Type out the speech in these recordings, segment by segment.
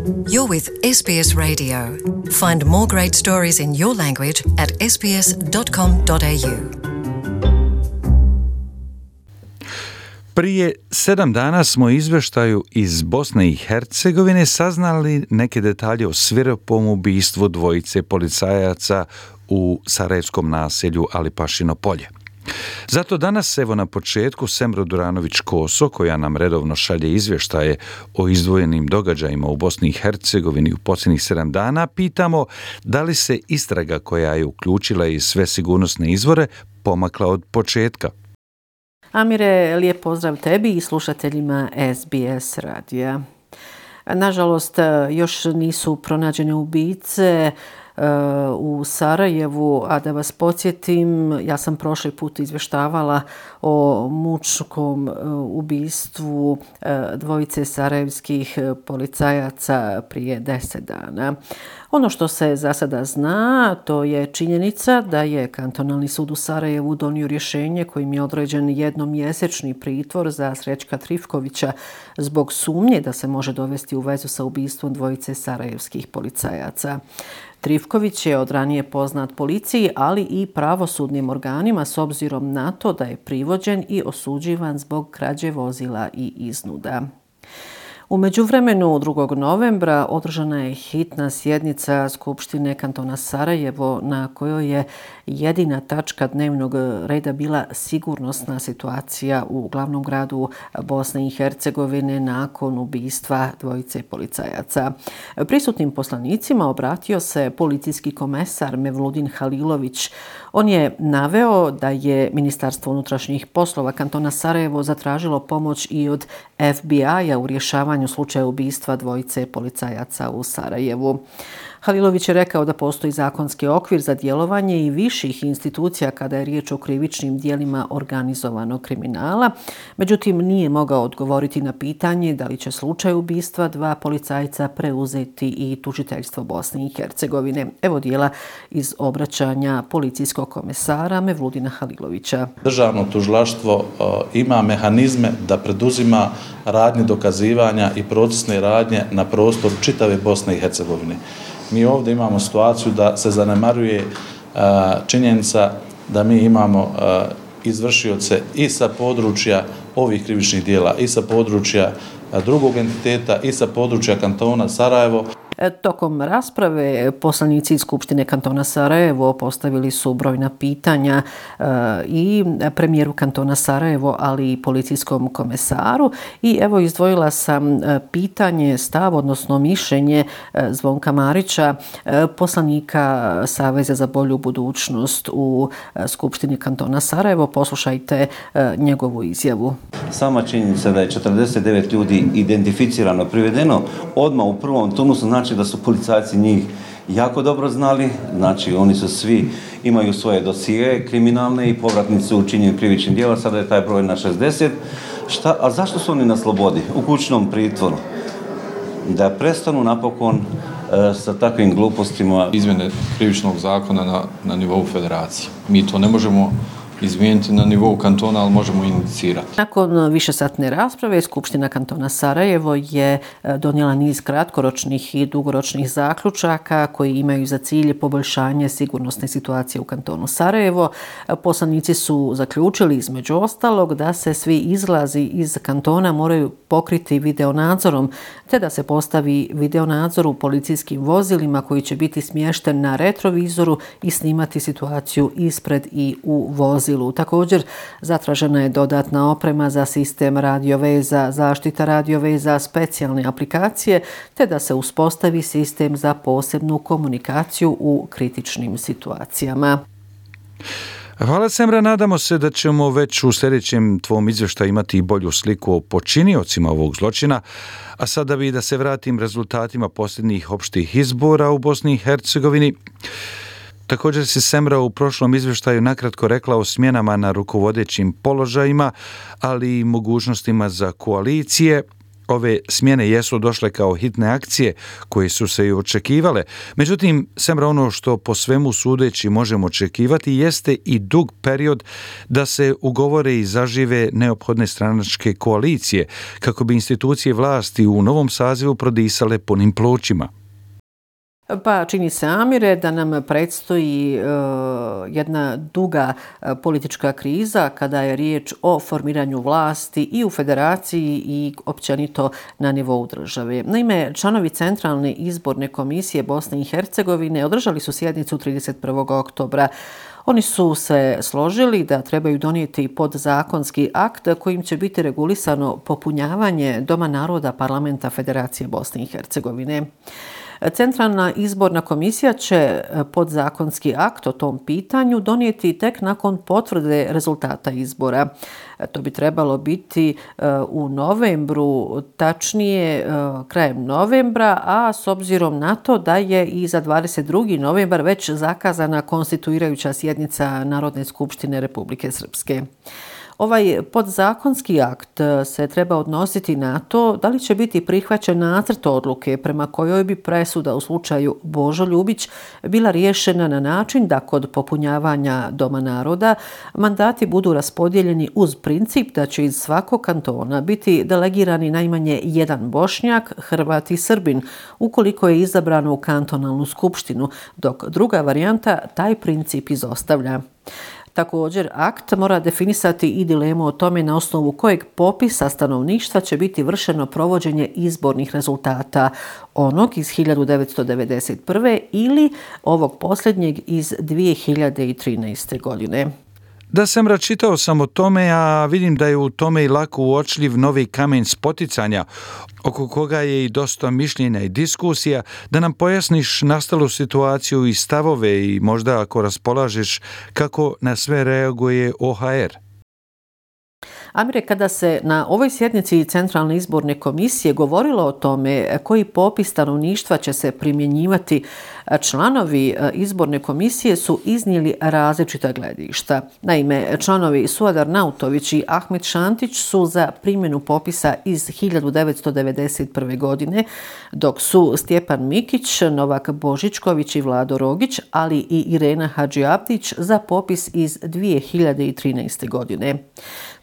You're with SBS Radio. Find more great stories in your language at sbs.com.au. Prije 7 dana smo izvještaju iz Bosne i Hercegovine saznali neke detalje o svirepom ubistvu dvojice policajaca u sarajevskom naselju Alipašino polje. Zato danas, evo na početku, Semro Duranović-Koso, koja nam redovno šalje izvještaje o izdvojenim događajima u Bosni i Hercegovini u posljednjih 7 dana, pitamo da li se istraga koja je uključila i sve sigurnosne izvore pomakla od početka. Amire, lijep pozdrav tebi i slušateljima SBS radija. Nažalost, još nisu pronađene ubice u Sarajevu, a da vas podsjetim, ja sam prošli put izvještavala o mučkom ubistvu dvojice sarajevskih policajaca prije 10 dana. Ono što se za sada zna, to je činjenica da je Kantonalni sud u Sarajevu donio rješenje kojim je određen jednomjesečni pritvor za Srećka Trifkovića zbog sumnje da se može dovesti u vezu sa ubistvom dvojice sarajevskih policajaca. Trifković je od ranije poznat policiji, ali i pravosudnim organima s obzirom na to da je privođen i osuđivan zbog krađe vozila i iznuda. U međuvremenu, 2. novembra, održana je hitna sjednica Skupštine kantona Sarajevo na kojoj je jedina tačka dnevnog reda bila sigurnosna situacija u glavnom gradu Bosne i Hercegovine nakon ubistva dvojice policajaca. Prisutnim poslanicima obratio se policijski komesar Mevludin Halilović. On je naveo da je Ministarstvo unutrašnjih poslova kantona Sarajevo zatražilo pomoć i od FBI-a u rješavanju slučaja ubistva dvojice policajaca u Sarajevu. Halilović je rekao da postoji zakonski okvir za djelovanje i viših institucija kada je riječ o krivičnim djelima organizovanog kriminala. Međutim, nije mogao odgovoriti na pitanje da li će slučaj ubistva dva policajca preuzeti i tužiteljstvo Bosne i Hercegovine. Evo dijela iz obraćanja policijskog komesara Mevludina Halilovića. Državno tužilaštvo ima mehanizme da preduzima radnje dokazivanja i procesne radnje na prostoru čitave Bosne i Hercegovine. Mi ovdje imamo situaciju da se zanemaruje činjenica da mi imamo izvršioce i sa područja ovih krivičnih djela, i sa područja drugog entiteta, i sa područja kantona Sarajevo. Tokom rasprave poslanici iz Skupštine kantona Sarajevo postavili su brojna pitanja i premijeru kantona Sarajevo, ali i policijskom komesaru. I evo izdvojila sam pitanje, stav, odnosno mišljenje Zvonka Marića, poslanika Saveza za bolju budućnost u Skupštini kantona Sarajevo. Poslušajte njegovu izjavu. Sama činjenica da je 49 ljudi identificirano, privedeno odmah u prvom turnusu, znači da su policajci njih jako dobro znali, znači oni su svi, imaju svoje dosije kriminalne i povratnici u činjenju krivičnih djela, sada je taj broj na 60. A zašto su oni na slobodi, u kućnom pritvoru? Da prestanu napokon sa takvim glupostima. Izmjene krivičnog zakona na nivou federacije. Mi to ne možemo izmijeniti na nivou kantona, ali možemo inicirati. Nakon višesatne rasprave, Skupština kantona Sarajevo je donijela niz kratkoročnih i dugoročnih zaključaka koji imaju za cilj poboljšanje sigurnosne situacije u kantonu Sarajevo. Poslanici su zaključili između ostalog da se svi izlazi iz kantona moraju pokriti videonadzorom, te da se postavi videonadzor u policijskim vozilima koji će biti smješten na retrovizoru i snimati situaciju ispred i u vozilu. Također, zatražena je dodatna oprema za sistem radioveza, zaštita radioveza, specijalne aplikacije, te da se uspostavi sistem za posebnu komunikaciju u kritičnim situacijama. Hvala Semra, nadamo se da ćemo već u sljedećem tvom izvještaju imati bolju sliku o počiniocima ovog zločina, a sada bi da se vratim rezultatima posljednjih opštih izbora u Bosni i Hercegovini. Također se Semra u prošlom izvještaju nakratko rekla o smjenama na rukovodećim položajima, ali i mogućnostima za koalicije. Ove smjene jesu došle kao hitne akcije koje su se i očekivale. Međutim, semra ono što po svemu sudeći možemo očekivati jeste i dug period da se ugovore i zažive neophodne stranačke koalicije kako bi institucije vlasti u novom sazivu prodisale punim plućima. Pa čini se, Amire, da nam predstoji jedna duga politička kriza kada je riječ o formiranju vlasti i u federaciji i općenito na nivou države. Naime, članovi Centralne izborne komisije Bosne i Hercegovine održali su sjednicu 31. oktobra. Oni su se složili da trebaju donijeti podzakonski akt kojim će biti regulisano popunjavanje Doma naroda Parlamenta Federacije Bosne i Hercegovine. Centralna izborna komisija će podzakonski akt o tom pitanju donijeti tek nakon potvrde rezultata izbora. To bi trebalo biti u novembru, tačnije krajem novembra, a s obzirom na to da je i za 22. novembar već zakazana konstituirajuća sjednica Narodne skupštine Republike Srpske. Ovaj podzakonski akt se treba odnositi na to da li će biti prihvaćen nacrt odluke prema kojoj bi presuda u slučaju Božo Ljubić bila riješena na način da kod popunjavanja Doma naroda mandati budu raspodijeljeni uz princip da će iz svakog kantona biti delegirani najmanje jedan Bošnjak, Hrvat i Srbin ukoliko je izabrano u kantonalnu skupštinu, dok druga varijanta taj princip izostavlja. Također, akt mora definisati i dilemu o tome na osnovu kojeg popisa stanovništva će biti vršeno provođenje izbornih rezultata, onog iz 1991. ili ovog posljednjeg iz 2013. godine. Da sam čitao sam o tome, a vidim da je u tome i lako uočljiv novi kamen spoticanja, oko koga je i dosta mišljenja i diskusija, da nam pojasniš nastalu situaciju i stavove i možda ako raspolažeš kako na sve reaguje OHR. Amire, kada se na ovoj sjednici Centralne izborne komisije govorilo o tome koji popis stanovništva će se primjenjivati, članovi izborne komisije su iznijeli različita gledišta. Naime, članovi Suadar Nautović i Ahmet Šantić su za primjenu popisa iz 1991. godine, dok su Stjepan Mikić, Novak Božičković i Vlado Rogić, ali i Irena Hadžiabdić za popis iz 2013. godine.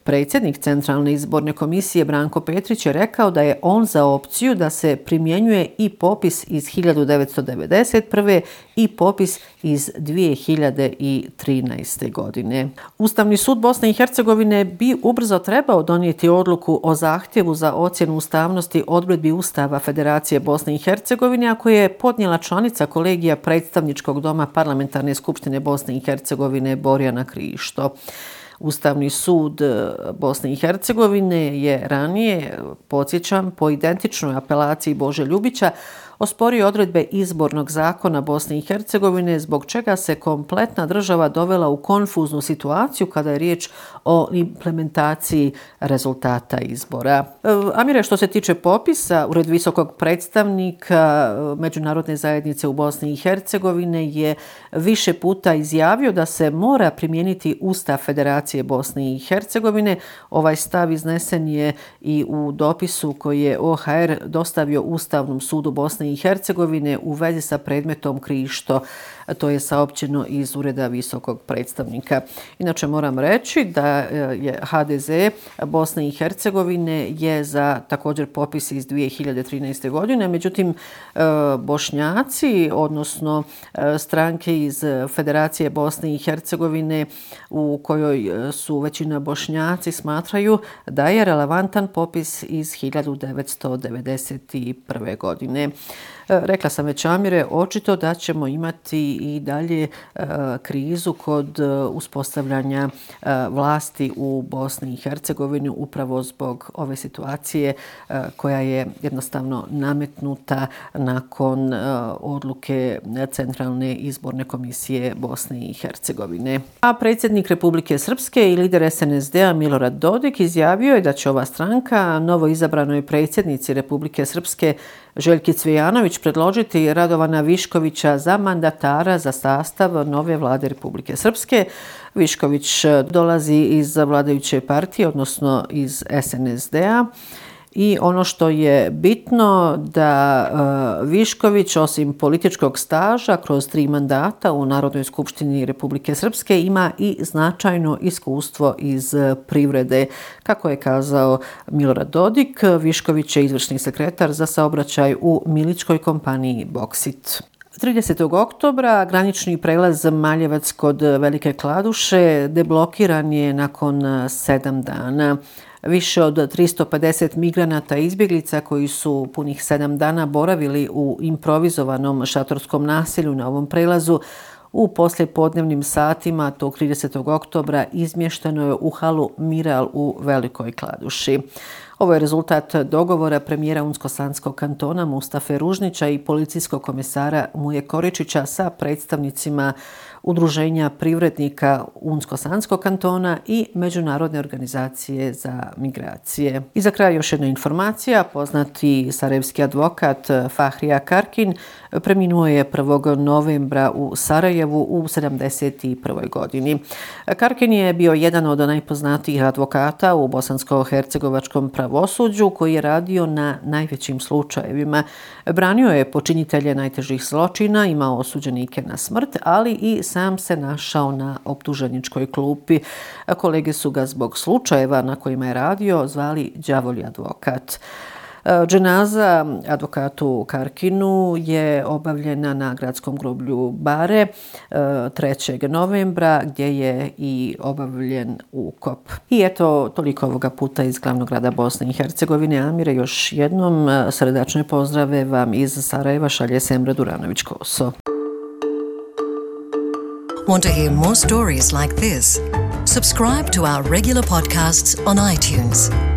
Predsjednik Centralne izborne komisije Branko Petrić je rekao da je on za opciju da se primjenjuje i popis iz 1991. i popis iz 2013. godine. Ustavni sud Bosne i Hercegovine bi ubrzo trebao donijeti odluku o zahtjevu za ocjenu ustavnosti odredbi Ustava Federacije Bosne i Hercegovine, a koje je podnijela članica kolegija Predstavničkog doma Parlamentarne skupštine Bosne i Hercegovine Borjana Krišto. Ustavni sud Bosne i Hercegovine je ranije, podsjećam, po identičnoj apelaciji Bože Ljubića osporio odredbe izbornog zakona Bosne i Hercegovine, zbog čega se kompletna država dovela u konfuznu situaciju kada je riječ o implementaciji rezultata izbora. Amire, što se tiče popisa, Ured visokog predstavnika Međunarodne zajednice u Bosni i Hercegovine je više puta izjavio da se mora primijeniti Ustav Federacije Bosne i Hercegovine. Ovaj stav iznesen je i u dopisu koji je OHR dostavio Ustavnom sudu Bosne i Hercegovine u vezi sa predmetom Krišto. To je saopćeno iz Ureda visokog predstavnika. Inače moram reći da je HDZ Bosne i Hercegovine je za također popis iz 2013. godine. Međutim, Bošnjaci, odnosno stranke iz Federacije Bosne i Hercegovine u kojoj su većina Bošnjaci, smatraju da je relevantan popis iz 1991. godine. Rekla sam već, Amire, očito da ćemo imati i dalje krizu kod uspostavljanja vlasti u Bosni i Hercegovini upravo zbog ove situacije koja je jednostavno nametnuta nakon odluke Centralne izborne komisije Bosne i Hercegovine. A predsjednik Republike Srpske i lider SNSD-a Milorad Dodik izjavio je da će ova stranka novo izabranoj predsjednici Republike Srpske Željki Cvijanović predložiti Radovana Viškovića za mandatara za sastav nove vlade Republike Srpske. Višković dolazi iz vladajuće partije, odnosno iz SNSD-a. I ono što je bitno da Višković osim političkog staža kroz 3 mandata u Narodnoj skupštini Republike Srpske ima i značajno iskustvo iz privrede. Kako je kazao Milorad Dodik, Višković je izvršni sekretar za saobraćaj u miličkoj kompaniji Boksit. 30. oktobra granični prelaz Maljevac kod Velike Kladuše deblokiran je nakon 7 dana. Više od 350 migranata i izbjeglica koji su punih 7 dana boravili u improvizovanom šatorskom naselju na ovom prelazu u poslijepodnevnim satima tog 30. oktobra izmješteno je u halu Miral u Velikoj Kladuši. Ovo je rezultat dogovora premijera Unsko-Sanskog kantona Mustafe Ružnića i policijskog komesara Muje Koričića sa predstavnicima Udruženja privrednika Unsko-Sanskog kantona i Međunarodne organizacije za migracije. I za kraj još jedna informacija. Poznati sarajevski advokat Fahrija Karkin preminuo je 1. novembra u Sarajevu u 71. godini. Karkin je bio jedan od najpoznatijih advokata u bosansko-hercegovačkom pravosuđu koji je radio na najvećim slučajevima. Branio je počinitelje najtežih zločina, imao osuđenike na smrt, ali i sam se našao na optuženičkoj klupi. Kolege su ga zbog slučajeva na kojima je radio zvali đavolji advokat. Dženaza advokatu Karkinu je obavljena na gradskom groblju Bare 3. novembra gdje je i obavljen ukop. I eto, toliko ovoga puta iz glavnog grada Bosne i Hercegovine. Amire, još jednom srdačne pozdrave vam iz Sarajeva šalje Semra Duranović-Koso. Want to hear more stories like this? Subscribe to our regular podcasts on iTunes.